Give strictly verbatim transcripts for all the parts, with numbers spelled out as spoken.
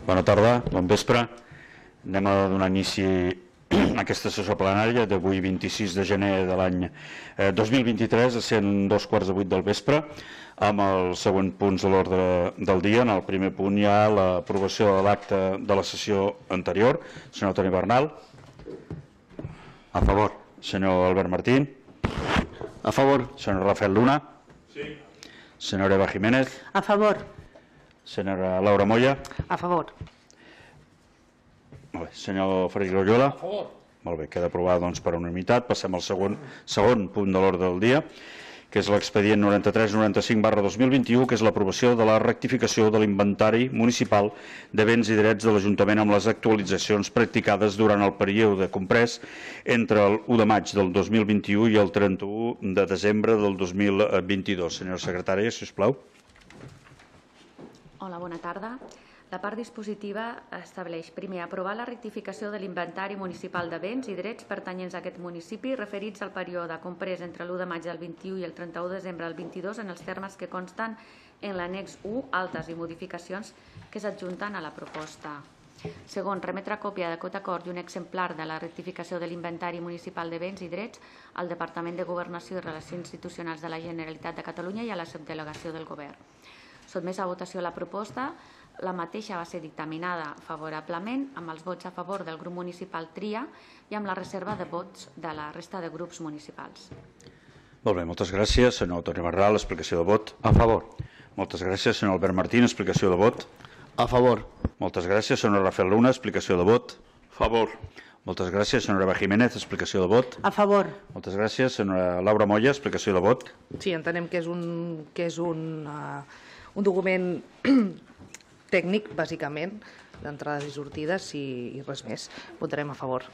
Bona tarda, bon vespre. Anem a donar inici a aquesta sessió plenària d'avui vint-i-sis de gener de l'any dos mil vint-i-tres, a sent dos quarts de vuit del vespre, amb els següents punts de l'ordre del dia. En el primer punt hi ha l'aprovació de l'acte de la sessió anterior. Senyor Toni Bernal. A favor. Senyor Albert Martín. A favor. Senyor Rafael Luna. Sí. Senyora Eva Jiménez. A favor. Senyora Laura Moya. A favor. Molt bé. Senyor Frederic Loyola. A favor. Molt bé, queda aprovat doncs, per unanimitat. Passem al segon, segon punt de l'ordre del dia, que és l'expedient noranta-tres noranta-cinc barra dos mil vint-i-u, que és l'aprovació de la rectificació de l'inventari municipal de béns i drets de l'Ajuntament amb les actualitzacions practicades durant el període comprès entre el u de maig del dos mil vint-i-u i el trenta-u de desembre del dos mil vint-i-dos. Senyora secretària, si us plau. Hola, bona tarda. La part dispositiva estableix, primer, aprovar la rectificació de l'inventari municipal de béns i drets pertanyents a aquest municipi referits al període comprès entre l'u de maig del vint-i-u i el trenta-u de desembre del vint-i-dos en els termes que consten en l'annex u, altes i modificacions que s'adjunten a la proposta. Segon, remetre còpia d'aquest acord i un exemplar de la rectificació de l'inventari municipal de béns i drets al Departament de Governació i Relacions Institucionals de la Generalitat de Catalunya i a la subdelegació del Govern. Sotmès a votació la proposta, la mateixa va ser dictaminada favorablement amb els vots a favor del grup municipal Tria i amb la reserva de vots de la resta de grups municipals. Molt bé, moltes gràcies. Senyor Toni Bernal, explicació de vot. A favor. Moltes gràcies. Senyor Albert Martín, explicació de vot. A favor. Moltes gràcies. Senyor Rafael Luna, explicació de vot. A favor. Moltes gràcies. Senyora Eva Jiménez, explicació de vot. A favor. Moltes gràcies. Senyora Laura Moya, explicació de vot. Sí, entenem que és un, que és un, uh, un document tècnic, bàsicament, d'entrades i sortides i, i res més. Votarem a favor.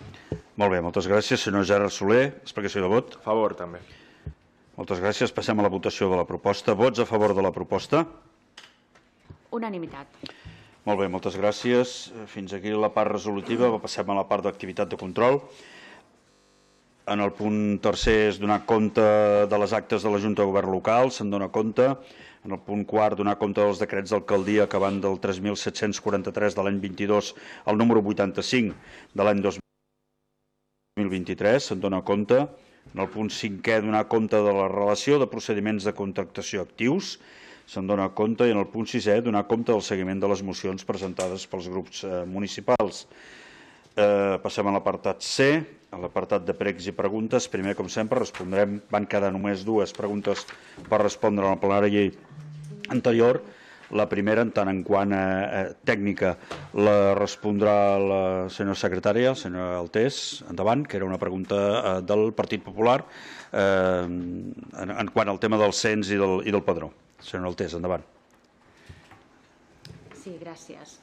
Molt bé, moltes gràcies. Senyor Gerard Soler, explicació de vot. A favor, també. Moltes gràcies. Passem a la votació de la proposta. Vots a favor de la proposta? Unanimitat. Molt bé, moltes gràcies. Fins aquí la part resolutiva. Passem a la part d'activitat de control. En el punt tercer és donar compte de les actes de la Junta de Govern Local. Se'n dona compte. En el punt quart, donar compte dels decrets d'alcaldia que van del tres mil set-cents quaranta-tres de l'any vint-i-dos al número vuitanta-cinc de l'any dos mil vint-i-tres. Se'n dona compte. En el punt cinquè, donar compte de la relació de procediments de contractació actius. Se'n dona compte. I en el punt sisè, donar compte del seguiment de les mocions presentades pels grups eh, municipals. Eh, passem a l'apartat C, a l'apartat de pregs i preguntes. Primer, com sempre, respondrem, van quedar només dues preguntes per respondre a la plenària anterior. La primera, en tant en quant a eh, tècnica, la respondrà la senyora secretària, el senyor Altés, endavant, que era una pregunta eh, del Partit Popular eh, en, en quant al tema del cens i del, i del padró. Senyor Altés, endavant. Sí, gràcies.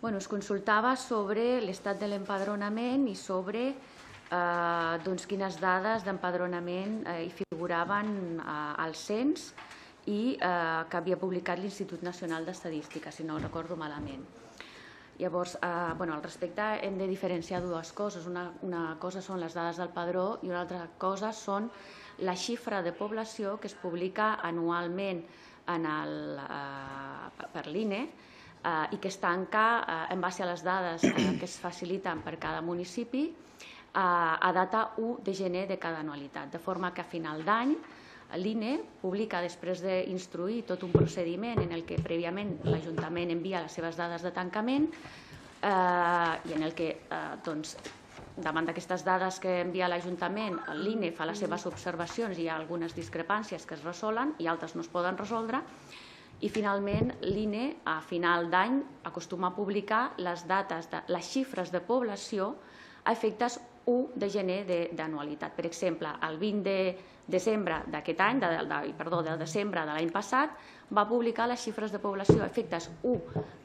Bueno, es consultava sobre l'estat de l'empadronament i sobre eh, doncs, quines dades d'empadronament eh, hi figuraven eh, al cens i eh, que havia publicat l'Institut Nacional d'Estadística, si no ho recordo malament. Llavors, eh, bueno, al respecte hem de diferenciar dues coses. Una, una cosa són les dades del padró i una altra cosa són la xifra de població que es publica anualment en el, eh, per l'I N E eh, i que es tanca eh, en base a les dades eh, que es faciliten per cada municipi eh, a data u de gener de cada anualitat, de forma que a final d'any l'I N E publica, després d'instruir tot un procediment en el que prèviament l'Ajuntament envia les seves dades de tancament eh, i en el que, eh, doncs, davant d'aquestes dades que envia l'Ajuntament, l'I N E fa les seves observacions i hi ha algunes discrepàncies que es resolen i altres no es poden resoldre. I finalment l'I N E a final d'any acostuma a publicar les dates, de, les xifres de població a efectes u de gener d'anualitat. Per exemple, el vint de desembre d'aquest any, de, de, perdó, de desembre de l'any passat, va publicar les xifres de població a efectes u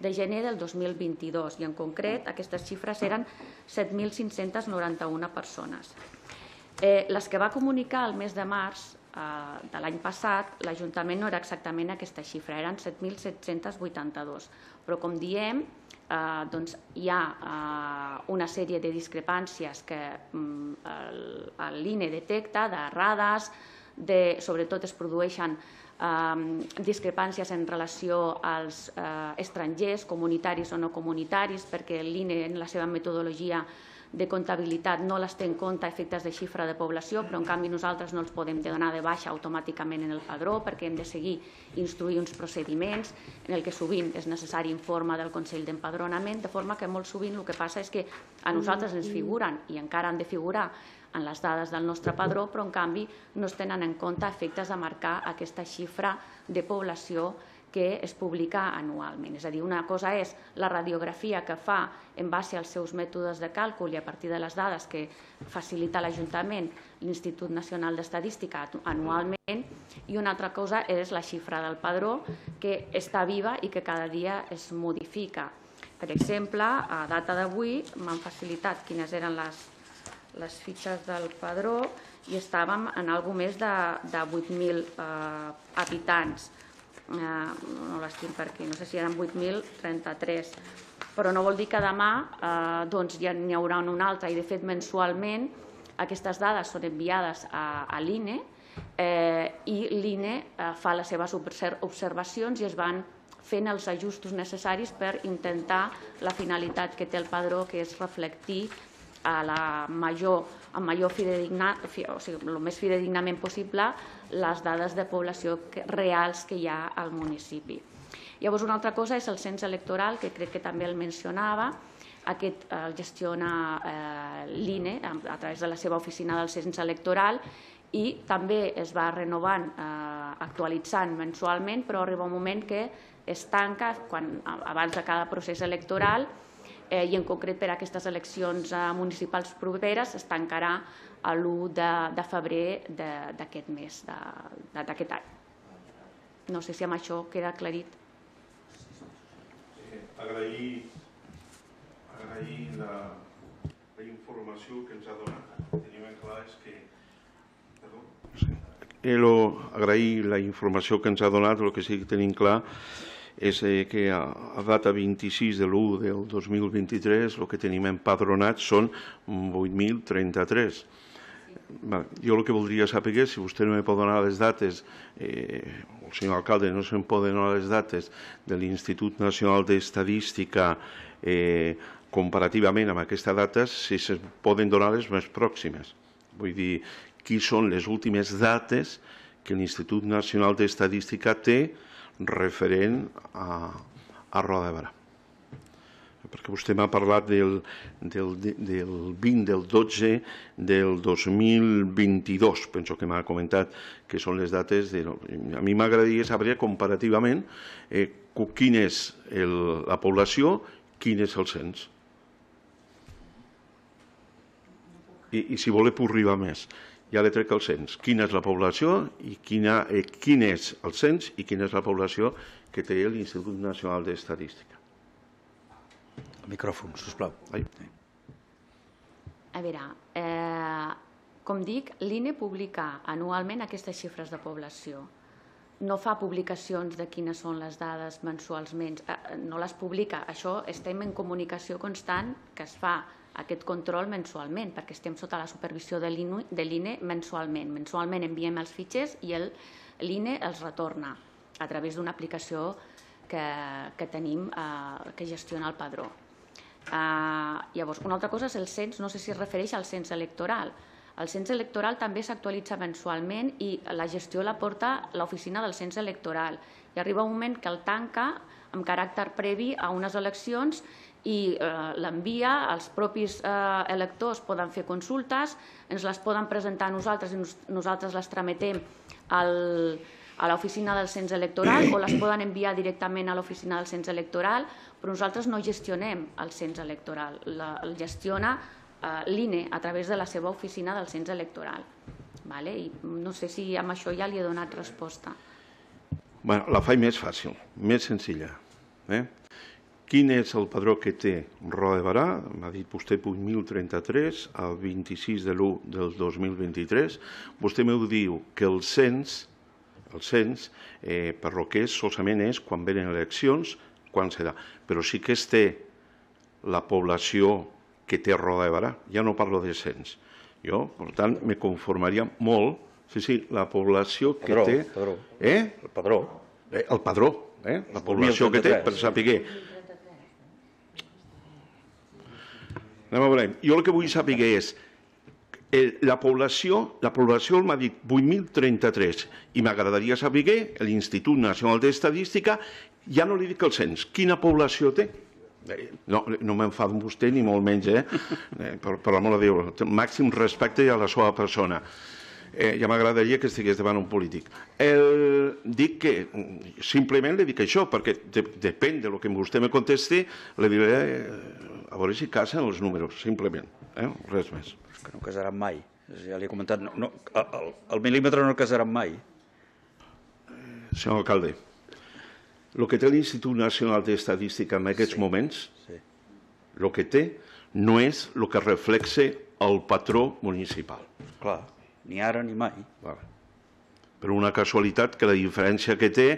de gener del dos mil vint-i-dos i en concret aquestes xifres eren set mil cinc-cents noranta-una persones. Eh, les que va comunicar el mes de març eh, de l'any passat, l'Ajuntament no era exactament aquesta xifra, eren set mil set-cents vuitanta-dos, però com diem, eh, doncs hi ha eh, una sèrie de discrepàncies que mm, l'I N E detecta, d'errades, sobretot es produeixen discrepàncies en relació als estrangers, comunitaris o no comunitaris, perquè l'I N E en la seva metodologia de comptabilitat no les té en compte efectes de xifra de població, però en canvi nosaltres no els podem donar de baixa automàticament en el padró perquè hem de seguir instruir uns procediments en el que sovint és necessari informe del Consell d'Empadronament, de forma que molt sovint el que passa és que a nosaltres ens figuren i encara han de figurar en les dades del nostre padró, però en canvi no es tenen en compte efectes de marcar aquesta xifra de població que es publica anualment. És a dir, una cosa és la radiografia que fa en base als seus mètodes de càlcul i a partir de les dades que facilita l'Ajuntament, l'Institut Nacional d'Estadística anualment, i una altra cosa és la xifra del padró que està viva i que cada dia es modifica. Per exemple, a data d'avui m'han facilitat quines eren les les fitxes del padró i estàvem en alguna més de vuit mil habitants. No les tinc per aquí, no sé si eren vuit mil trenta-tres, però no vol dir que demà n'hi haurà una altra i de fet mensualment aquestes dades són enviades a l'I N E i l'I N E fa les seves observacions i es van fent els ajustos necessaris per intentar la finalitat que té el padró, que és reflectir a la major, amb major o sigui, el més fidedignament possible les dades de població reals que hi ha al municipi. Llavors, una altra cosa és el cens electoral, que crec que també el mencionava. Aquest el gestiona l'I N E a través de la seva oficina del cens electoral i també es va renovant, actualitzant mensualment, però arriba un moment que es tanca abans de cada procés electoral i en concret per a aquestes eleccions municipals properes es tancarà l'u de febrer d'aquest mes, d'aquest any. No sé si amb això queda aclarit. Agrair la informació que ens ha donat. Tenim en clar és que... Agrair la informació que ens ha donat, el que sí que tenim clar és que a data vint-i-sis de l'u del dos mil vint-i-tres el que tenim empadronat són vuit mil trenta-tres. Jo el que voldria saber, si vostè no me pot donar les dates, el senyor alcalde no se'm pot donar les dates de l'Institut Nacional d'Estadística comparativament amb aquesta data, si se poden donar les més pròximes. Vull dir, qui són les últimes dates que l'Institut Nacional d'Estadística té referent a Roda de Berà. Perquè vostè m'ha parlat del vint del dotze del dos mil vint-i-dos, penso que m'ha comentat que són les dates. A mi m'agradaria saber comparativament quina és la població, quin és el cens. I si vol puc arribar més. Ja li trec el cens. Quina és la població i quin és el cens i quina és la població que té l'Institut Nacional d'Estadística. Micròfon, sisplau. A veure, com dic, l'I N E publica anualment aquestes xifres de població. No fa publicacions de quines són les dades mensualment, no les publica. Això estem en comunicació constant que es fa aquest control mensualment, perquè estem sota la supervisió de l'I N E mensualment. Mensualment enviem els fitxers i l'I N E els retorna a través d'una aplicació que tenim que gestiona el padró. Llavors, una altra cosa és el cens, no sé si es refereix al cens electoral. El cens electoral també s'actualitza mensualment i la gestió la porta l'oficina del cens electoral. I arriba un moment que el tanca amb caràcter previ a unes eleccions i l'envia, els propis electors poden fer consultes, ens les poden presentar a nosaltres i nosaltres les tramitem a l'oficina del cens electoral o les poden enviar directament a l'oficina del cens electoral, però nosaltres no gestionem el cens electoral, el gestiona l'I N E a través de la seva oficina del cens electoral. No sé si amb això ja li he donat resposta. La faig més fàcil, més senzilla. Quin és el padró que té Roda de Berà? M'ha dit vostè vuit mil trenta-tres, el vint-i-sis de l'u del dos mil vint-i-tres. Vostè m'ho diu que el cens, el cens, per lo que és, solament és quan venen eleccions, quan serà. Però sí que es té la població que té Roda de Berà. Ja no parlo de cens. Jo, per tant, me conformaria molt Sí, sí, la població que Padró, té... padró. Eh? El padró. Eh, el padró, eh? La població que té, per saber. Anem a veure. Jo el que vull saber és eh, la població, la població m'ha dit vuit mil trenta-tres i m'agradaria saber l'Institut Nacional d'Estadística, ja no li dic el cens, quina població té? No, no m'enfado amb vostè, ni molt menys, eh? Per, per l'amor de Déu, màxim respecte a la seva persona. Eh, ja m'agradaria que estigués davant un polític. El, dic que, simplement li dic això, perquè de, depèn del que vostè me contesti, li diré eh, a veure si casen els números, simplement, eh? Res més. Que no casaran mai. Ja li he comentat, no, no, el, el mil·límetre no casaran mai. Senyor alcalde, el que té l'Institut Nacional d'Estadística en aquests Sí, moments, sí. el que té no és el que reflexa el patró municipal. Clar, ni ara ni mai. Vale. Per una casualitat que la diferència que té,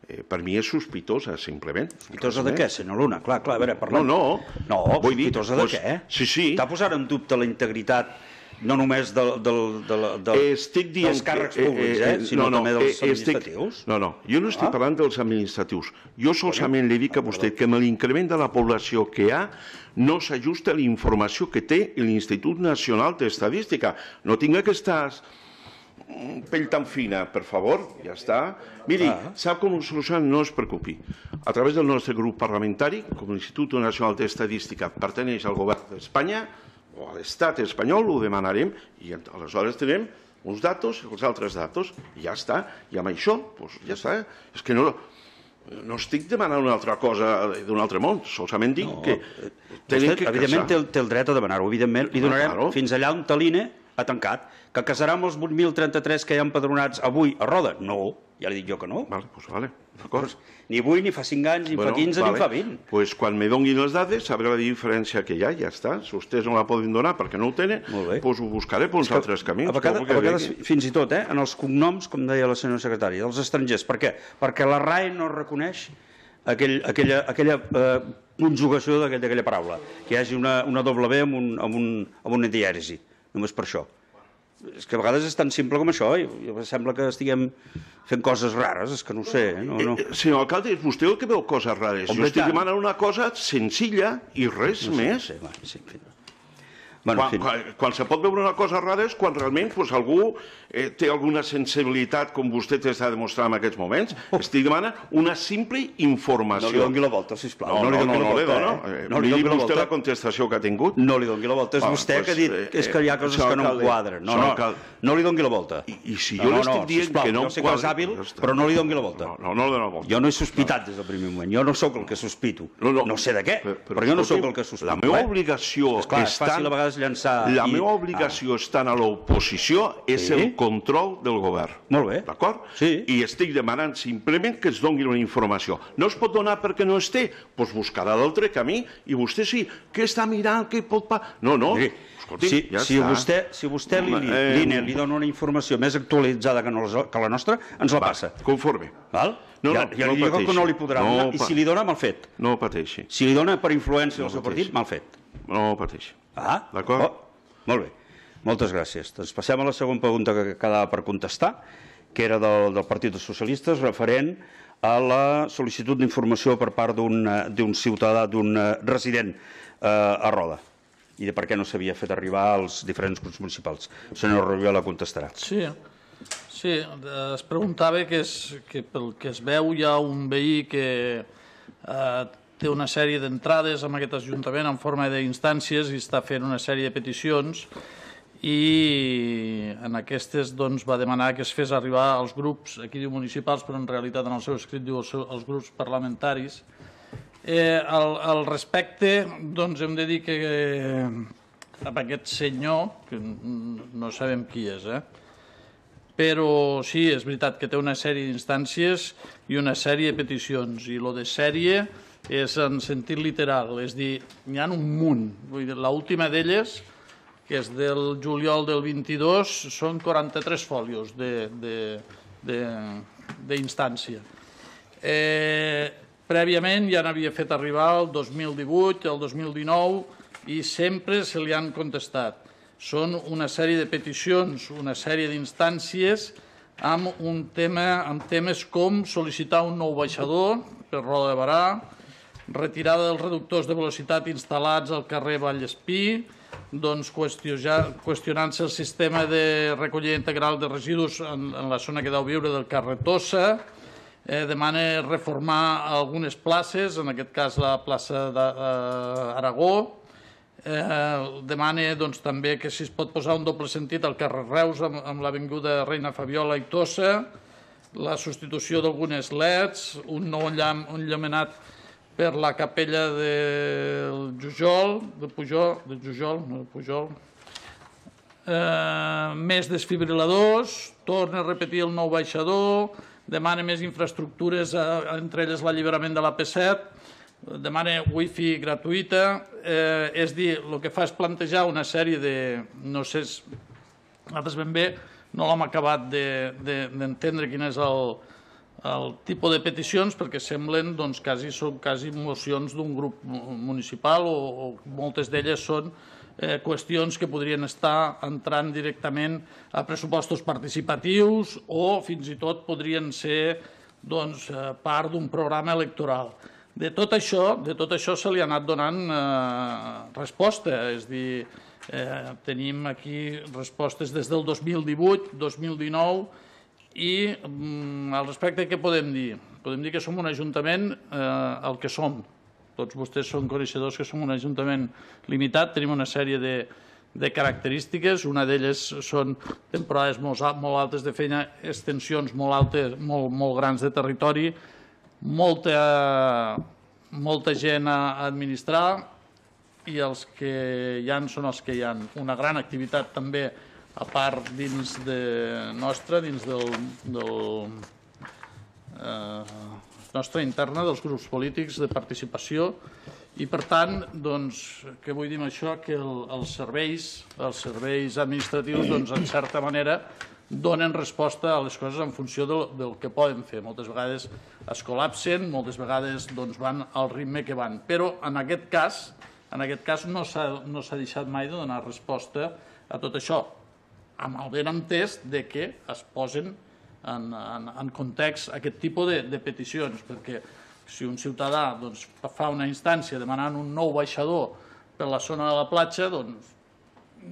eh, per mi és sospitosa, simplement. Sospitosa de què, senyor Luna? Clar, clar, a veure, parlem... No, no. No, Vull dir, sospitosa de doncs, què? sí, sí. Està posant en dubte la integritat no només del, del, del, del, Estic dient dels càrrecs que, públics, eh, eh, eh, sinó no, no, també dels eh, estic- administratius? No, no, jo no estic Ah. parlant dels administratius. Jo solament li dic a vostè que amb l'increment de la població que hi ha no s'ajusta a la informació que té l'Institut Nacional d'Estadística. No tinc aquestes pell tan fina, per favor, ja està. Miri, Ah. sap com ho solucionen? No es preocupi. A través del nostre grup parlamentari, com l'Institut Nacional d'Estadística pertaneix al govern d'Espanya, o a l'estat espanyol, ho demanarem, i aleshores tenim uns datos i els altres datos, i ja està. I amb això, doncs ja està. És que no, no estic demanant una altra cosa d'un altre món, solament dic No, que eh, tenim Vostè, que evidentment, té, casar. el- té el dret a demanar-ho. Evidentment, li Ah, donarem claro. fins allà on l'I N E ha tancat. Que casarà amb els vuit mil trenta-tres que hi ha empadronats avui a Roda? No, ja li dic jo que no. Vale, doncs vale, d'acord. Ni avui, ni fa cinc anys, ni fa quinze, ni fa vint. Pues quan me donin les dades sabré la diferència que hi ha, ja està. Si vostès no la poden donar perquè no ho tenen, Molt bé. doncs ho buscaré per uns altres camins. A vegades, com a que vegades digui. fins i tot, eh, en els cognoms, com deia la senyora secretària, dels estrangers. Per què? Perquè la R A E no reconeix aquell, aquella, aquella eh, conjugació d'aquell- d'aquella paraula, que hi hagi una, una doble B amb, un, amb, un, amb una dièresi, només per això. És que a vegades és tan simple com això, i i sembla que estiguem fent coses rares, és que no ho sé. Eh? No, no. Eh, Senyor alcalde, és vostè el que veu coses rares. Home, jo estic tant. demanant una cosa senzilla i res No sé, més. no sé, bueno, sí, en fi. Bueno, en Quan, fi. quan, quan se pot veure una cosa rara és quan realment pues, algú eh, té alguna sensibilitat com vostè t'està demostrant en aquests moments. Estic demanant una simple No informació. li doni la volta, sisplau. No, no, li no, doni no, la li volta, dono. eh? Eh, No li Miri doni la vostè la volta. contestació que ha tingut. No li doni la volta. És Ah, vostè doncs, que ha dit eh, que és que hi ha coses senyor que no em alcalde, quadren. No, senyor no, alcalde. no li doni la volta. I, i si No, jo no, l'estic no, dient sisplau, que no jo em sé que és quadri- hàbil, ja està. però no li doni la volta. No, no, no li dono la volta. Jo no he sospitat des del primer moment. Jo no sóc el que sospito. No, no. No sé de què, Però- però però jo no escolti'm, sóc el que sospito. la meva eh? obligació Esclar, és estant- fàcil a vegades llançar... La i- meva obligació estant a l'oposició és Sí. el control del govern. Molt bé. D'acord? Sí. I estic demanant simplement que es doni una informació. No es pot donar perquè no es té? Doncs buscarà l'altre camí i vostè sí. Què està mirant? Què pot... Pa... No, no. Miri, Escolti, si, ja si està. vostè, si vostè li, Home, eh, l'I N E li dona una informació més actualitzada que, no, la- que la nostra, ens la Va, passa. conforme. Val? No, ja, no, ja no li dic que pateixi. no li podrà No donar, i pa- si li dona, mal fet. No pateixi. Si li dona per influència del No seu pateixi. partit, mal fet. No pateixi. Ah, D'acord. Oh, molt bé. Moltes gràcies. Doncs passem a la segona pregunta que quedava per contestar, que era del, del Partit dels Socialistes, referent a la sol·licitud d'informació per part d'un eh, d'un ciutadà, d'un eh, resident eh, a Roda, i de per què no s'havia fet arribar als diferents grups municipals. El senyor Rubió la contestarà. Sí, sí, es preguntava que, és, que pel que es veu hi ha un veí que eh, té una sèrie d'entrades en aquest Ajuntament en forma d'instàncies i està fent una sèrie de peticions i en aquestes doncs, va demanar que es fes arribar als grups, aquí diu municipals, però en realitat en el seu escrit diu els, seu, els grups parlamentaris. Eh, al, al respecte, doncs hem de dir que eh, amb aquest senyor, que no sabem qui és, eh? però sí, és veritat que té una sèrie d'instàncies i una sèrie de peticions, i lo de sèrie és en sentit literal, és dir, n'hi ha un munt. Vull dir, l'última d'elles, que és del juliol del vint-i-dos, són quaranta-tres fòlios d'instància. Eh, prèviament ja n'havia fet arribar el dos mil divuit, el dos mil dinou, i sempre se li han contestat. són una sèrie de peticions, una sèrie d'instàncies amb un tema, amb temes com sol·licitar un nou baixador per Roda de Barà, retirada dels reductors de velocitat instal·lats al carrer Vallespí, doncs qüestionant-se el sistema de recollida integral de residus en, en la zona que deu viure del carrer Tossa, eh, demana reformar algunes places, en aquest cas la plaça d'Aragó, eh, demana doncs, també que si es pot posar un doble sentit al carrer Reus amb, amb l'avinguda Reina Fabiola i Tossa, la substitució d'algunes L E Ds, un nou enllam, un enllaminat per la capella del Jujol, de Pujol, de Jujol, no de Pujol, eh, més desfibriladors, torna a repetir el nou baixador, demana més infraestructures, eh, entre elles l'alliberament de la P set, demana wifi gratuïta, eh, és dir, el que fa és plantejar una sèrie de, no sé, nosaltres ben bé no l'hem acabat d'entendre quin és el el tipus de peticions, perquè semblen doncs, quasi, són quasi mocions d'un grup municipal o, o moltes d'elles són eh, qüestions que podrien estar entrant directament a pressupostos participatius o fins i tot podrien ser doncs, part d'un programa electoral. De tot això, de tot això se li ha anat donant eh, resposta, és a dir, eh, tenim aquí respostes des del dos mil divuit, dos mil dinou, i al respecte què podem dir? Podem dir que som un ajuntament eh, el que som. Tots vostès són coneixedors que som un ajuntament limitat, tenim una sèrie de, de característiques, una d'elles són temporades molt, molt altes de feina, extensions molt altes, molt, molt grans de territori, molta, molta gent a administrar i els que hi ha són els que hi ha. Una gran activitat també a part dins de nostra, dins del, del eh, nostra interna, dels grups polítics de participació i per tant, doncs, què vull dir amb això? Que el, els serveis, els serveis administratius, doncs, en certa manera, donen resposta a les coses en funció del, del que poden fer. Moltes vegades es col·lapsen, moltes vegades doncs, van al ritme que van, però en aquest cas, en aquest cas no s'ha no s'ha deixat mai de donar resposta a tot això, amb el ben entès de que es posen en, en, en context aquest tipus de, de peticions, perquè si un ciutadà doncs, fa una instància demanant un nou baixador per la zona de la platja, doncs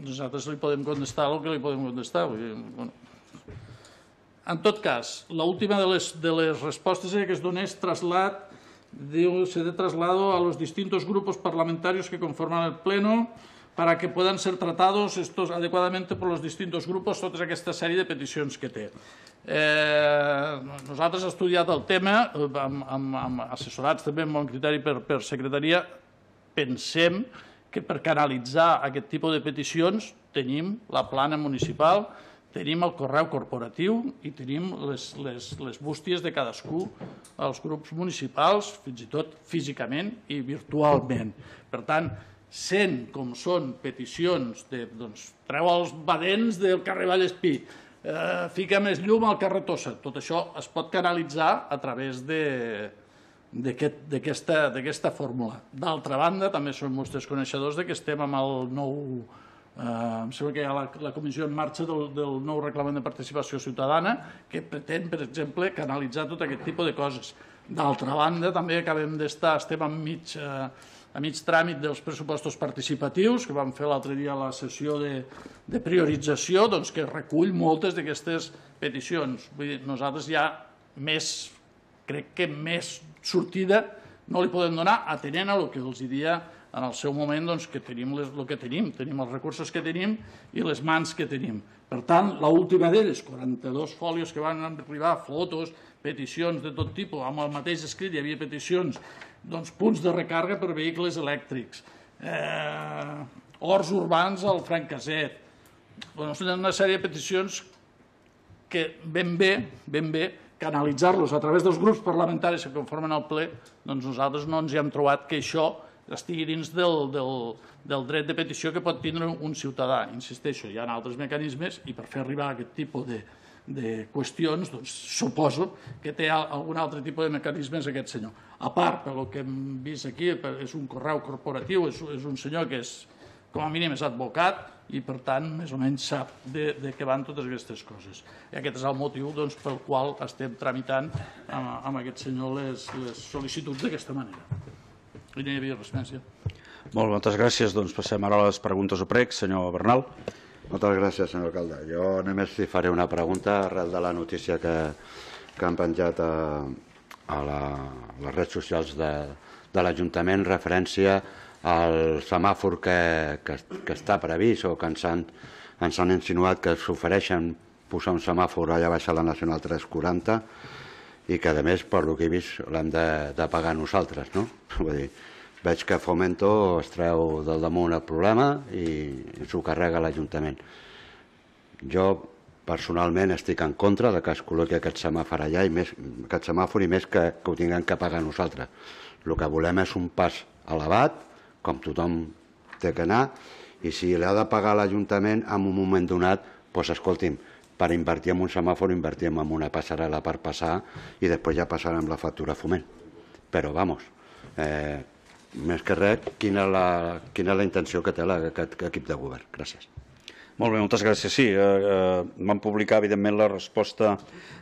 nosaltres li podem contestar el que li podem contestar. Vull dir, bueno. En tot cas, l'última de les, de les respostes que es dona és trasllat, diu, se de traslado a los distintos grupos parlamentarios que conforman el pleno para que puedan ser tratados estos adecuadamente por los distintos grupos, tota aquesta sèrie de peticions que té. Eh, nosaltres hem estudiat el tema, amb, amb, amb assessorats també amb bon criteri per, per secretaria, pensem que per canalitzar aquest tipus de peticions tenim la plana municipal, tenim el correu corporatiu i tenim les, les, les bústies de cadascú als grups municipals, fins i tot físicament i virtualment. Per tant, sent com són peticions de, doncs, treu els badens del carrer Vallespí, eh, fica més llum al carrer Tossa, tot això es pot canalitzar a través de d'aquesta fórmula. D'altra banda, també som vostès coneixedors que estem amb el nou, eh, em sembla que hi ha la, la comissió en marxa del, del nou reglament de participació ciutadana que pretén, per exemple, canalitzar tot aquest tipus de coses. D'altra banda, també acabem d'estar, estem enmig, eh, a mig tràmit dels pressupostos participatius, que vam fer l'altre dia la sessió de, de priorització, doncs, que recull moltes d'aquestes peticions. Vull dir, nosaltres ja més, crec que més sortida no li podem donar, atenent a el que els diria en el seu moment, doncs, que tenim les, el que tenim, tenim els recursos que tenim i les mans que tenim. Per tant, l'última d'elles, quaranta-dos fòlios que van arribar, fotos, peticions de tot tipus, amb el mateix escrit hi havia peticions, doncs, punts de recàrrega per vehicles elèctrics, eh, horts urbans al Francaset, doncs, una sèrie de peticions que ben bé, ben bé, canalitzar-los a través dels grups parlamentaris que conformen el ple, doncs nosaltres no ens hi hem trobat que això estigui dins del, del, del dret de petició que pot tindre un ciutadà. Insisteixo, hi ha altres mecanismes i per fer arribar a aquest tipus de, de qüestions, doncs suposo que té algun altre tipus de mecanismes aquest senyor. A part, pel que hem vist aquí, és un correu corporatiu, és, és un senyor que és com a mínim és advocat i, per tant, més o menys sap de, de què van totes aquestes coses. I aquest és el motiu doncs, pel qual estem tramitant amb, amb aquest senyor les, les sol·licituds d'aquesta manera. I no hi havia res més, ja. Molt, moltes gràcies. Doncs passem ara a les preguntes o pregs. Senyor Bernal. Moltes gràcies, senyor alcalde. Jo només li faré una pregunta arrel de la notícia que, que han penjat a, a, la, a les redes socials de, de l'Ajuntament referència al semàfor que, que, que està previst o que ens han, ens han insinuat que s'ofereixen posar un semàfor allà baix a la Nacional tres quaranta i que, a més, per lo que he vist, l'hem de, de pagar nosaltres, no? Vull dir, veig que Fomento es treu del damunt el problema i s'ho carrega l'Ajuntament. Jo, personalment, estic en contra de que es col·loqui aquest semàfor allà, i més, aquest semàfor, i més que, que ho tinguem que pagar nosaltres. El que volem és un pas elevat, com tothom té que anar, i si l'ha de pagar l'Ajuntament en un moment donat, doncs escolti'm, per invertir en un semàfor, invertim en una passarel·la per passar i després ja passarem la factura a Foment. Però, vamos, eh, més que res, quina és la, quina és la intenció que té aquest equip de govern. Gràcies. Molt bé, moltes gràcies. Sí, eh, eh, vam publicar, evidentment, la resposta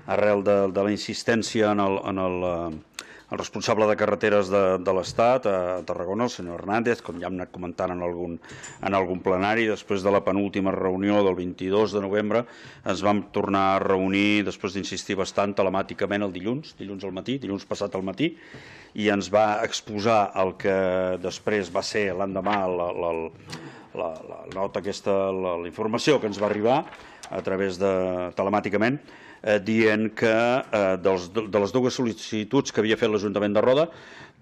arrel de, de la insistència en el, en el, eh, el responsable de carreteres de, de l'Estat, a Tarragona, el senyor Hernández, com ja hem anat comentant en algun, en algun plenari. Després de la penúltima reunió del vint-i-dos de novembre, ens vam tornar a reunir, després d'insistir bastant, telemàticament el dilluns, dilluns al matí, dilluns passat al matí, i ens va exposar el que després va ser l'endemà la, la, la, la nota aquesta, la, la informació que ens va arribar a través de telemàticament, eh, dient que eh, dels, de les dues sol·licituds que havia fet l'Ajuntament de Roda,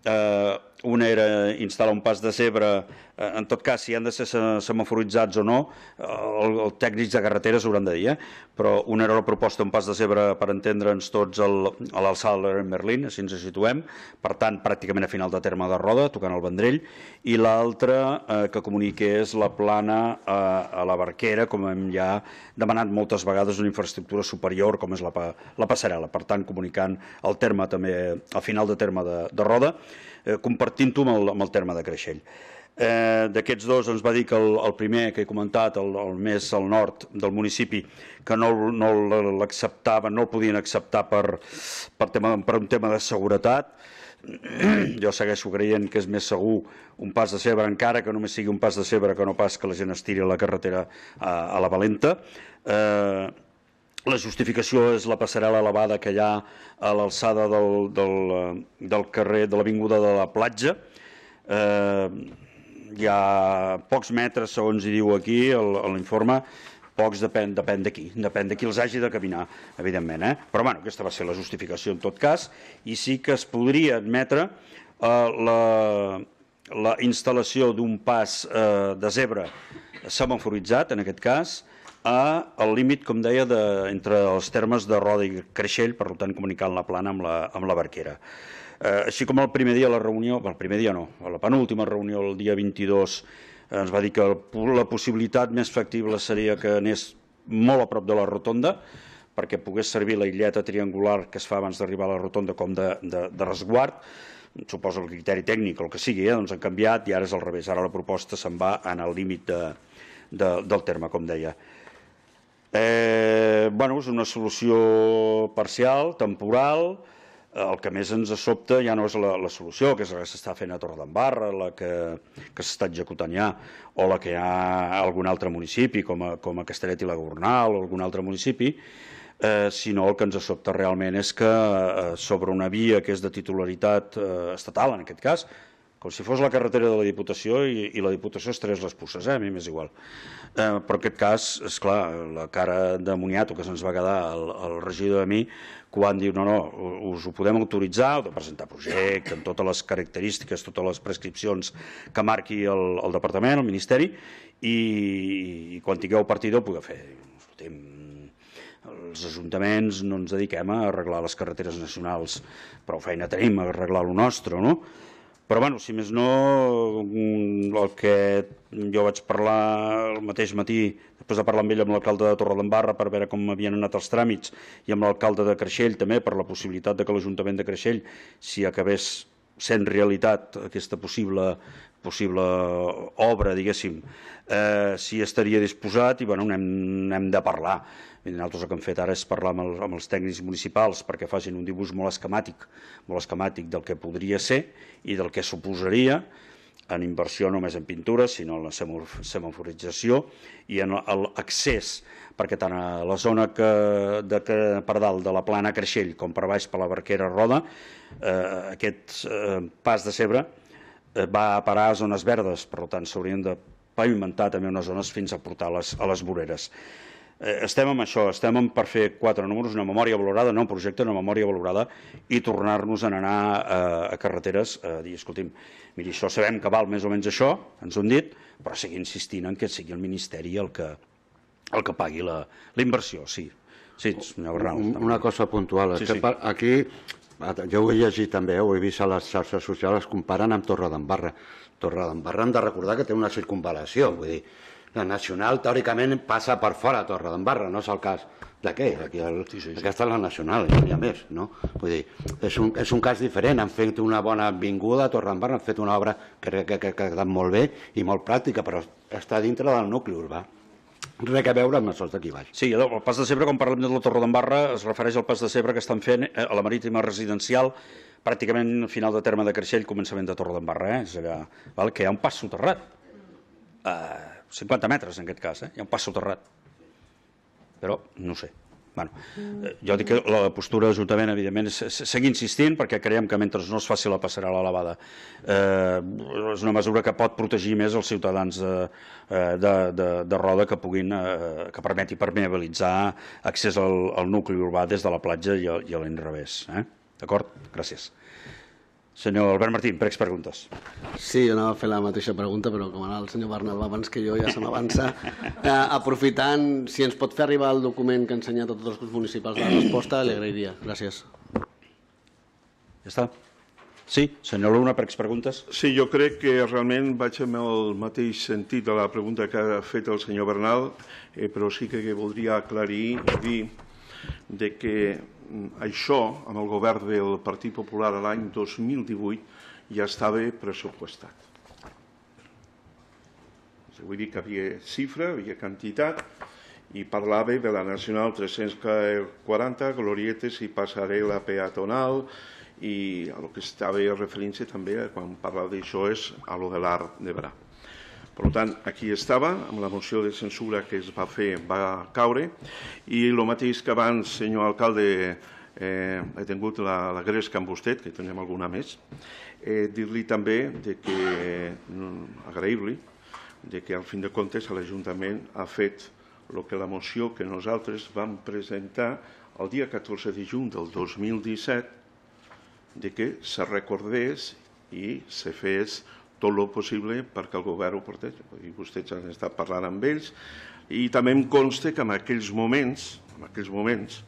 eh, una era instal·lar un pas de zebra, eh, en tot cas, si han de ser semaforitzats o no, els el tècnics de carreteres hauran de dir, eh? Però una era la proposta un pas de zebra per entendre'ns tots el, a l'alçada de Merlín, així ens situem, per tant, pràcticament a final de terme de Roda, tocant el Vendrell, i l'altra eh, que comuniqués la plana eh, a la Barquera, com hem ja demanat moltes vegades, una infraestructura superior com és la, la passarel·la, per tant, comunicant el terme també, al final de terme de, de Roda, eh, compartint-ho amb, el, amb el terme de Creixell. Eh, D'aquests dos ens va dir que el, el primer que he comentat, el, el més al nord del municipi, que no, no l'acceptaven, no el podien acceptar per, per, tema, per un tema de seguretat. Jo segueixo creient que és més segur un pas de zebra, encara que només sigui un pas de zebra, que no pas que la gent es tiri a la carretera a, a la Valenta. Eh, la justificació és la passarel·la elevada que hi ha a l'alçada del, del, del carrer de l'Avinguda de la Platja. Eh, hi ha pocs metres, segons hi diu aquí l'informe, pocs depèn, depèn d'aquí, depèn de qui els hagi de caminar, evidentment, eh? Però bueno, aquesta va ser la justificació en tot cas, i sí que es podria admetre eh, la, la instal·lació d'un pas eh, de zebra semaforitzat, en aquest cas, al límit, com deia, de, entre els termes de Roda i Creixell, per tant comunicant la plana amb la, amb la Barquera. Eh, així com el primer dia la reunió, el primer dia no, la penúltima reunió el dia vint-i-dos eh, ens va dir que la possibilitat més factible seria que anés molt a prop de la rotonda, perquè pogués servir la illeta triangular que es fa abans d'arribar a la rotonda com de, de, de resguard. Suposo el criteri tècnic o el que sigui, eh, doncs han canviat i ara és al revés, ara la proposta se'n va en el límit de, de, del terme, com deia. Eh, bueno, és una solució parcial, temporal. El que més ens sobta ja no és la, la solució, que és la que s'està fent a Torredembarra, la que, que s'està executant ja, o la que hi ha a algun altre municipi, com a, com a Castellet i la Gornal o algun altre municipi, eh, sinó el que ens sobta realment és que eh, sobre una via que és de titularitat eh, estatal, en aquest cas, com si fos la carretera de la Diputació i, i la Diputació es tres les puces, eh? A mi m'és igual. Eh, però en aquest cas, esclar, la cara de moniato que se'ns va quedar el, el regidor a mi, quan diu, no, no, us ho podem autoritzar, heu de presentar projecte, amb totes les característiques, totes les prescripcions que marqui el, el Departament, el Ministeri, i, i quan tingueu partida ho pugueu fer. Escolti'm, els ajuntaments no ens dediquem a arreglar les carreteres nacionals, prou feina tenim a arreglar el nostre, no? Però, bueno, si més no, el que jo vaig parlar el mateix matí, després de parlar amb ell amb l'alcalde de Torredembarra per veure com havien anat els tràmits, i amb l'alcalde de Creixell també, per la possibilitat de que l'Ajuntament de Creixell, si acabés sent realitat aquesta possible possible obra, diguéssim, si estaria disposat i n'hem de parlar. Nosaltres el que hem fet ara és parlar amb els tècnics municipals perquè facin un dibuix molt esquemàtic, molt esquemàtic del que podria ser i del que suposaria en inversió només en pintura, sinó en la semaforització i en l'accés, perquè tant a la zona per dalt de la plana Creixell com per baix per la Barquera Roda, aquest pas de Cebre va a parar a zones verdes, per tant s'haurien de pavimentar també unes zones fins a portar a les voreres. Estem amb això, estem per fer quatre números, una memòria valorada, no un projecte, una memòria valorada i tornar-nos a anar a carreteres a dir, escolti'm, miri, això sabem que val més o menys això, ens ho han dit, però seguir insistint en que sigui el Ministeri el que pagui la inversió, sí. Sí, senyor Bernal. Una cosa puntual, aquí, jo ho he llegit també, ho he vist a les xarxes socials, es comparen amb Torredembarra. Torredembarra hem de recordar que té una circunvalació, vull dir, la Nacional teòricament passa per fora de Torredembarra, no és el cas d'aquest, aquesta és la Nacional, no n'hi ha més, no? Vull dir, és un cas diferent, han fet una bona avinguda a Torredembarra, han fet una obra que ha quedat molt bé i molt pràctica, però està dintre del nucli urbà. Res a veure amb els sols d'aquí baix. Sí, el pas de Cebre, quan parlem de la Torredembarra, es refereix al pas de Cebre que estan fent a la marítima residencial, pràcticament al final de terme de Creixell, començament de Torredembarra, és allà, que hi ha un pas soterrat. cinquanta metres en aquest cas, hi ha un pas soterrat. Però, no sé. Jo dic que la postura de l'Ajuntament, evidentment, és seguir insistint perquè creiem que mentre no es faci la passarel·la elevada és una mesura que pot protegir més els ciutadans de Roda que permeti permeabilitzar accés al nucli urbà des de la platja i a l'inrevés. D'acord? Gràcies. Senyor Albert Martín, pregs preguntes. Sí, jo anava a fer la mateixa pregunta, però com el senyor Bernal va abans que jo, ja se m'avança. Aprofitant, si ens pot fer arribar el document que ha ensenyat a tots els grups municipals de la resposta, li agrairia. Gràcies. Ja està. Sí, senyor Luna, pregs preguntes. Sí, jo crec que realment vaig amb el mateix sentit de la pregunta que ha fet el senyor Bernal, però sí que voldria aclarir i dir que això, amb el govern del Partit Popular l'any dos mil divuit, ja estava pressupostat. Vull dir que hi havia xifra, hi havia quantitat, i parlava de la Nacional tres-cents quaranta, glorietes i passarel·la peatonal, i el que estava referint-se també, quan parlava d'això, és a lo de l'Arc de Bra. Per tant, aquí estava, amb la moció de censura que es va fer, va caure, i el mateix que abans, senyor alcalde, he tingut la gresca amb vostè, que tenim alguna més, dir-li també, agrair-li, que al fin de comptes l'Ajuntament ha fet el que la moció que nosaltres vam presentar el dia catorze de juny del dos mil disset, que se recordés i se fes tot el possible perquè el govern ho portés. Vostès han estat parlant amb ells i també em consta que en aquells moments, en aquells moments,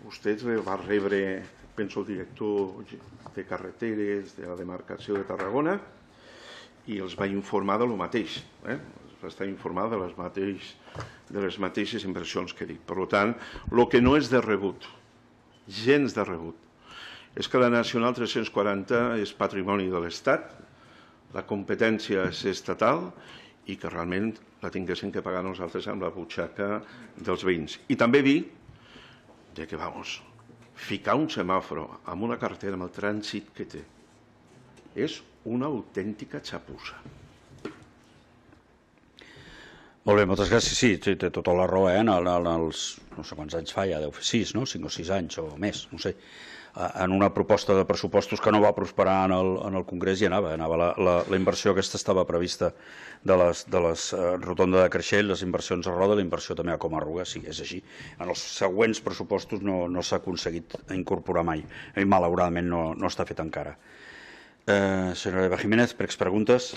vostè va rebre, penso, el director de carreteres de la demarcació de Tarragona i els va informar del mateix, va estar informat de les mateixes inversions que dic. Per tant, el que no és de rebut, gens de rebut, és que la Nacional tres-cents quaranta és patrimoni de l'Estat, la competència és estatal i que realment la tinguéssim que pagar nosaltres amb la butxaca dels veïns. I també dir que, vamos, ficar un semàforo en una carretera amb el trànsit que té és una autèntica xapussa. Molt bé, moltes gràcies. Sí, té tota la raó, eh? No sé quants anys fa, ja deu fer sis, no? cinc o sis anys o més, no sé. En una proposta de pressupostos que no va prosperar en el Congrés i anava, la inversió aquesta estava prevista de les rotonda de Creixell, les inversions a Roda, la inversió també a Comarruga, sí, és així. En els següents pressupostos no s'ha aconseguit incorporar mai i malauradament no està fet encara. Senyora Eva Jiménez, pregs preguntes?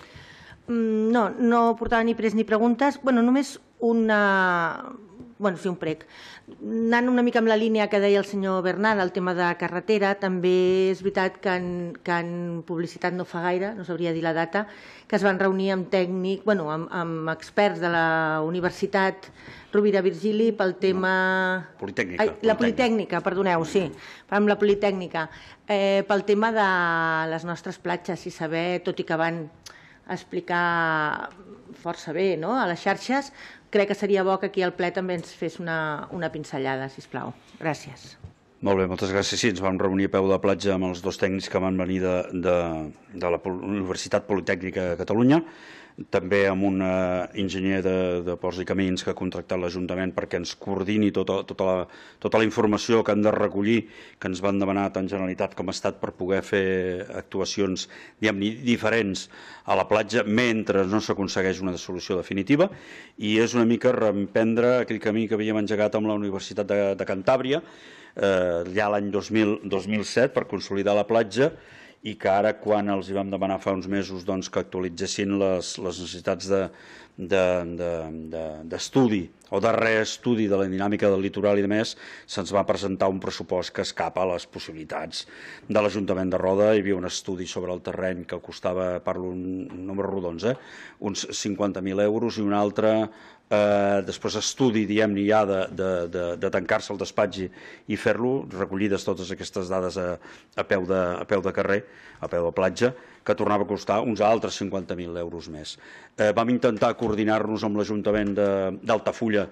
No, no portava ni pres ni preguntes. Bueno, només una bueno, sí, un prec. Anant una mica amb la línia que deia el senyor Bernat, el tema de carretera, també és veritat que en, que en publicitat no fa gaire, no sabria dir la data, que es van reunir amb tècnic, bueno, amb, amb experts de la Universitat Rovira Virgili pel tema... Politècnica. Ai, la Politècnica, perdoneu, sí, amb la Politècnica, eh, pel tema de les nostres platges i saber, tot i que van explicar força bé, no?, a les xarxes, crec que seria bo que aquí al ple també ens fes una, una pinzellada, sisplau. Gràcies. Molt bé, moltes gràcies. Sí, ens vam reunir a peu de platja amb els dos tècnics que van venir de, de, de la Universitat Politècnica de Catalunya, també amb un enginyer de, de Ports i Camins que ha contractat l'Ajuntament perquè ens coordini tota, tota, la, tota la informació que han de recollir, que ens van demanar tant Generalitat com Estat per poder fer actuacions diferents a la platja mentre no s'aconsegueix una solució definitiva, i és una mica reemprendre aquell camí que havíem engegat amb la Universitat de, de Cantàbria eh, ja l'any dos mil set per consolidar la platja, i que ara, quan els hi vam demanar fa uns mesos doncs, que actualitzessin les, les necessitats d'estudi de, de, de, o de reestudi de la dinàmica del litoral i de més, se'ns va presentar un pressupost que escapa a les possibilitats de l'Ajuntament de Roda. Hi havia un estudi sobre el terreny que costava, parlo un número rodons, eh, uns cinquanta mil euros, i un altre Eh, després estudi, diguem-ne, ja de, de, de, de tancar-se el despatx i fer-lo, recollides totes aquestes dades a, a, peu de, a peu de carrer, a peu de platja, que tornava a costar uns altres cinquanta mil euros més. Eh, vam intentar coordinar-nos amb l'Ajuntament d'Altafulla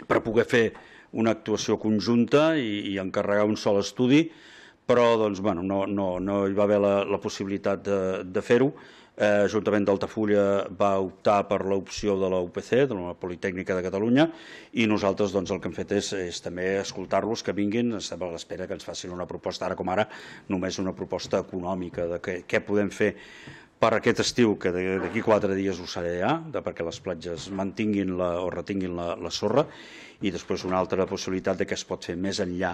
per poder fer una actuació conjunta i, i encarregar un sol estudi, però doncs, bueno, no, no, no hi va haver la, la possibilitat de, de fer-ho. L'Ajuntament d'Altafulla va optar per l'opció de la U P C, de la Politècnica de Catalunya, i nosaltres doncs, el que hem fet és, és també escoltar-los, que vinguin, estem a l'espera que ens facin una proposta, ara com ara, només una proposta econòmica de què, què podem fer per aquest estiu, que d'aquí quatre dies ho serà ja, de perquè les platges mantinguin la, o retinguin la, la sorra, i després una altra possibilitat de què es pot fer més enllà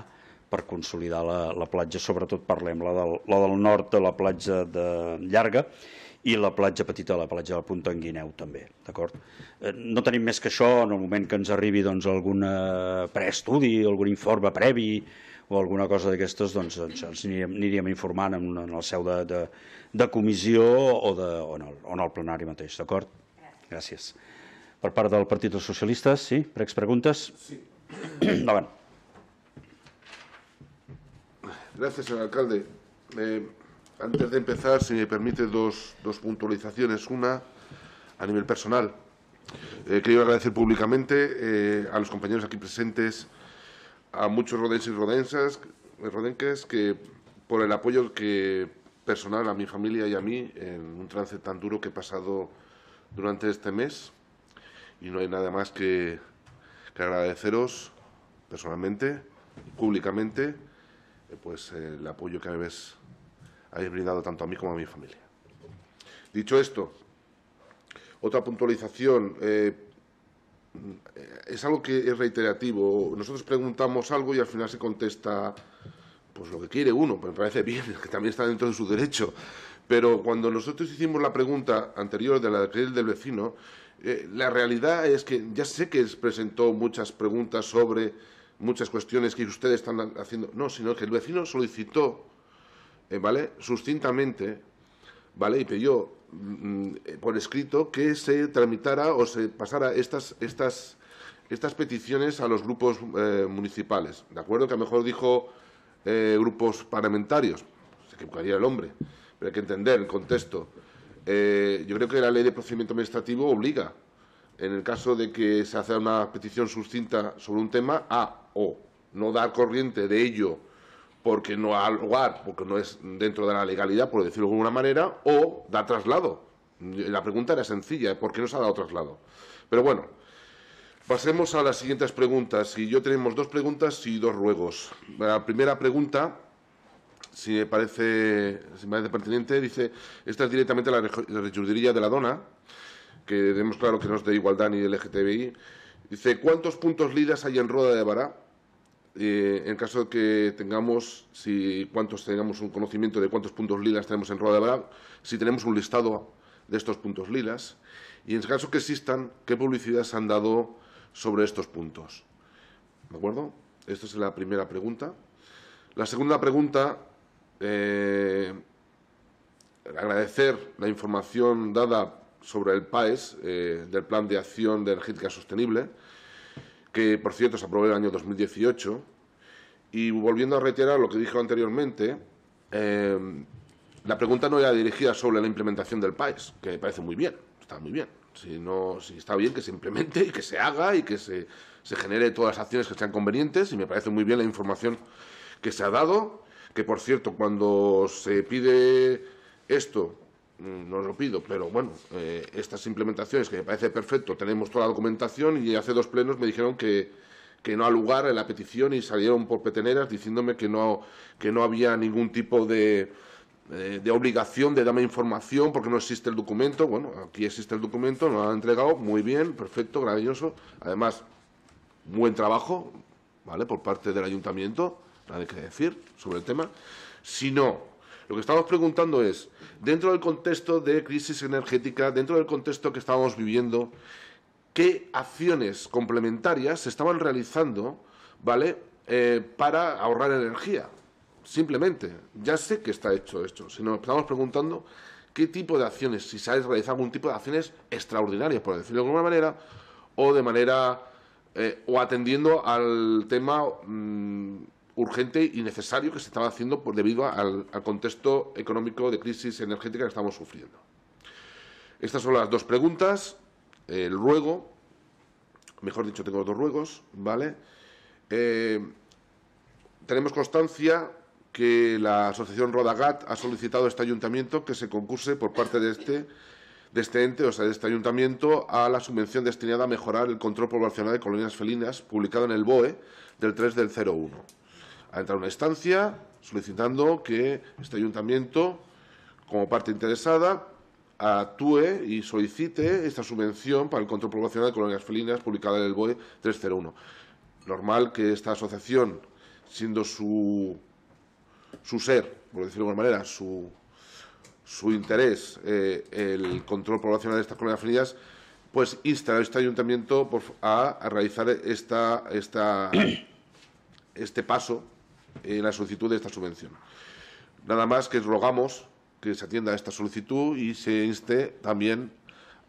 per consolidar la, la platja, sobretot parlem la del, la del nord de la platja de Llarga, i la platja petita, la platja del Punta en Guineu també, d'acord? No tenim més que això. En el moment que ens arribi doncs, algun preestudi, algun informe previ o alguna cosa d'aquestes, doncs ens aniríem, aniríem informant en, en el seu de, de, de comissió o, de, o, en el, o en el plenari mateix, d'acord? Gràcies. Per part del Partit dels Socialistes, sí? Pregs preguntes? Sí. Endavant. Gracias, señor alcalde. Eh... Antes de empezar, si me permite, dos, dos puntualizaciones. Una, a nivel personal. Eh, quiero agradecer públicamente eh, a los compañeros aquí presentes, a muchos rodenses y rodensas, rodenques, que por el apoyo que personal a mi familia y a mí en un trance tan duro que he pasado durante este mes. Y no hay nada más que, que agradeceros personalmente, públicamente, eh, pues eh, el apoyo que me ves habéis brindado tanto a mí como a mi familia. Dicho esto, otra puntualización, eh, es algo que es reiterativo. Nosotros preguntamos algo y al final se contesta pues lo que quiere uno, pues me parece bien, que también está dentro de su derecho. Pero cuando nosotros hicimos la pregunta anterior de la del vecino, eh, la realidad es que ya sé que presentó muchas preguntas sobre muchas cuestiones que ustedes están haciendo. No, sino que el vecino solicitó Eh, ¿vale? sucintamente, ¿vale? y pidió mm, por escrito que se tramitara o se pasara estas, estas, estas peticiones a los grupos eh, municipales. ¿De acuerdo? Que a lo mejor dijo eh, grupos parlamentarios, se equivocaría el hombre, pero hay que entender el contexto. Eh, yo creo que la ley de procedimiento administrativo obliga, en el caso de que se hace una petición sucinta sobre un tema, a o no dar corriente de ello porque no ha lugar, porque no es dentro de la legalidad, por decirlo de alguna manera, o da traslado. La pregunta era sencilla, ¿por qué no se ha dado traslado? Pero bueno, pasemos a las siguientes preguntas. Y yo tenemos dos preguntas y dos ruegos. La primera pregunta, si me parece, si me parece pertinente, dice, esta es directamente la regiduría de la Dona, que tenemos claro que no es de igualdad ni de L G T B I. Dice, ¿cuántos puntos lidas hay en Roda de Bará? Eh, en caso de que tengamos, si cuántos tengamos un conocimiento de cuántos puntos lilas tenemos en Roda de Bará, si tenemos un listado de estos puntos lilas, y en caso que existan, qué publicidad se han dado sobre estos puntos. ¿De acuerdo? Esta es la primera pregunta. La segunda pregunta, eh, agradecer la información dada sobre el P A E S, eh, del Plan de Acción de Energética Sostenible, que, por cierto, se aprobó en el año dos mil dieciocho. Y volviendo a reiterar lo que dije anteriormente, eh, la pregunta no era dirigida sobre la implementación del P A E S, que me parece muy bien, está muy bien. Si, no, si está bien que se implemente y que se haga y que se, se genere todas las acciones que sean convenientes, y me parece muy bien la información que se ha dado, que, por cierto, cuando se pide esto, no lo pido, pero bueno, eh, estas implementaciones, que me parece perfecto, tenemos toda la documentación, y hace dos plenos me dijeron que, que no ha lugar en la petición y salieron por peteneras diciéndome que no, que no había ningún tipo de... de obligación de darme información porque no existe el documento. Bueno, aquí existe el documento, nos lo han entregado, muy bien, perfecto, maravilloso. Además, buen trabajo, ¿vale?, por parte del ayuntamiento, nada que decir sobre el tema. Si no, lo que estamos preguntando es, dentro del contexto de crisis energética, dentro del contexto que estábamos viviendo, ¿qué acciones complementarias se estaban realizando, ¿vale?, eh, para ahorrar energía? Simplemente, ya sé que está hecho esto, si nos estamos preguntando qué tipo de acciones, si se ha realizado algún tipo de acciones extraordinarias, por decirlo de alguna manera, o de manera, eh, o atendiendo al tema mmm, urgente y necesario que se estaba haciendo por, debido al, al contexto económico de crisis energética que estamos sufriendo. Estas son las dos preguntas. El ruego, mejor dicho, tengo dos ruegos, ¿vale? Eh, tenemos constancia que la asociación Rodagat ha solicitado a este ayuntamiento que se concurse por parte de este, de este ente, o sea, de este ayuntamiento, a la subvención destinada a mejorar el control poblacional de colonias felinas, publicado en el B O E del tres del cero uno. Ha entrado una instancia solicitando que este ayuntamiento, como parte interesada, actúe y solicite esta subvención para el control poblacional de colonias felinas, publicada en el B O E tres cero uno. Normal que esta asociación, siendo su... su ser, por decirlo de alguna manera, su, su interés, eh, el control poblacional de estas colonias felinas, pues insta a este ayuntamiento por, a, a realizar esta, esta, este paso en la solicitud de esta subvención. Nada más que rogamos que se atienda a esta solicitud y se inste también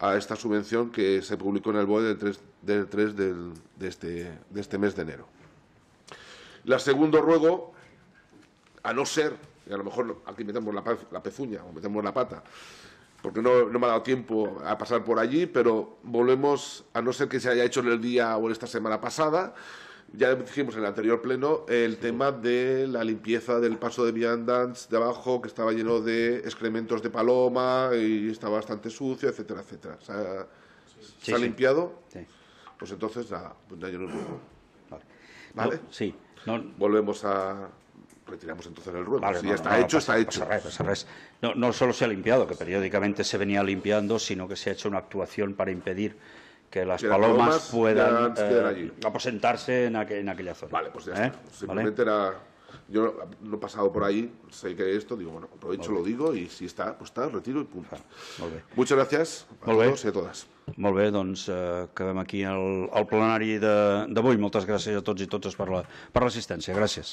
a esta subvención que se publicó en el B O E del tres, del tres del, de, este, de este mes de enero. La segundo ruego, a no ser, y a lo mejor aquí metemos la, la pezuña o metemos la pata, porque no, no me ha dado tiempo a pasar por allí, pero volvemos, a no ser que se haya hecho en el día o en esta semana pasada, ya dijimos en el anterior pleno, el tema de la limpieza del paso de viandantes de abajo, que estaba lleno de excrementos de paloma y estaba bastante sucio, etcétera, etcétera. ¿Se ha, sí, ¿se ha sí. limpiado? Sí. Pues entonces, nada, pues ya yo no ruego. Vale. ¿Vale? No, sí. No. Volvemos a... Retiramos entonces el ruego. Vale, si no, ya está no, hecho, no pasa, está hecho. Pasa res, pasa res. No, no solo se ha limpiado, que periódicamente se venía limpiando, sino que se ha hecho una actuación para impedir que las que palomas, las palomas puedan eh, aposentarse en, aqu en aquella zona. Vale, pues ya ¿Eh? está. Simplemente ¿Vale? era... Yo no he pasado por ahí, sé que esto, digo, bueno, aprovecho, lo digo, y si está, pues está, retiro y punto. Ah, molt bé. Muchas gracias a molt tots bé. I a totes. Molt bé, doncs eh, acabem aquí el, el plenari d'avui. Moltes gràcies a tots i totes per l'assistència. La, Gràcies.